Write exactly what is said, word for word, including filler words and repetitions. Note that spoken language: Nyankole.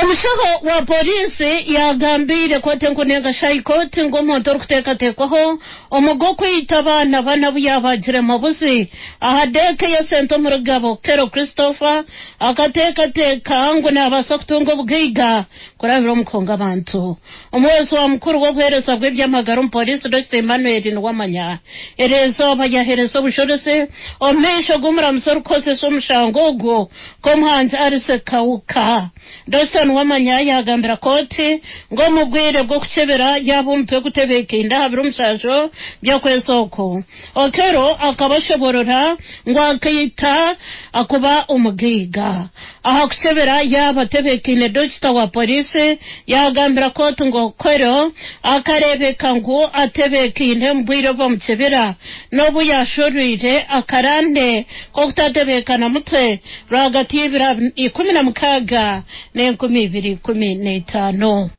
Omushaho wa polisi yagambiire kooti enkuru nenga High Court ngu omuntu orikuteekateekwaho omu gw'okwita abaana bana abu yaabaagire mabuzi aha deeke y'esente omuri Gabo, Kero Christopher, akateekateeka ngu naabaasa kutunga obugaiga kurabira omu kuhonga abantu. Omuhwezi wa mukuru w'obuheereza bw'eby'amagara omu polisi, Dokita Emmanuel Niwamanya, eriizooba yaheereza obujurizi omu maisho g'omuramuzi orikukozesa omushango ogwo, Komuhangi Alice Kawuka. Dokita Niwamanya yaagambira kooti ngu omu bwire bw'okukyebera yaaba omutwe gutebeekeine aha biro mushanju by'okwezi oku, Okello akaba ashoborora ngu akaita akuba omugaiga. Aha kukyebera yaaba atebeekeine, dokita wa polisi yaagambira kooti ngu Okello akareebeka ngu atebeekeine omu bwire obu bamukyebera n'obu yaashorwire akarande k'okutatebeekana mutwe rwagati y'ebiro ikumi na mukaaga n'enkumi ibiri ikumi n'etaano.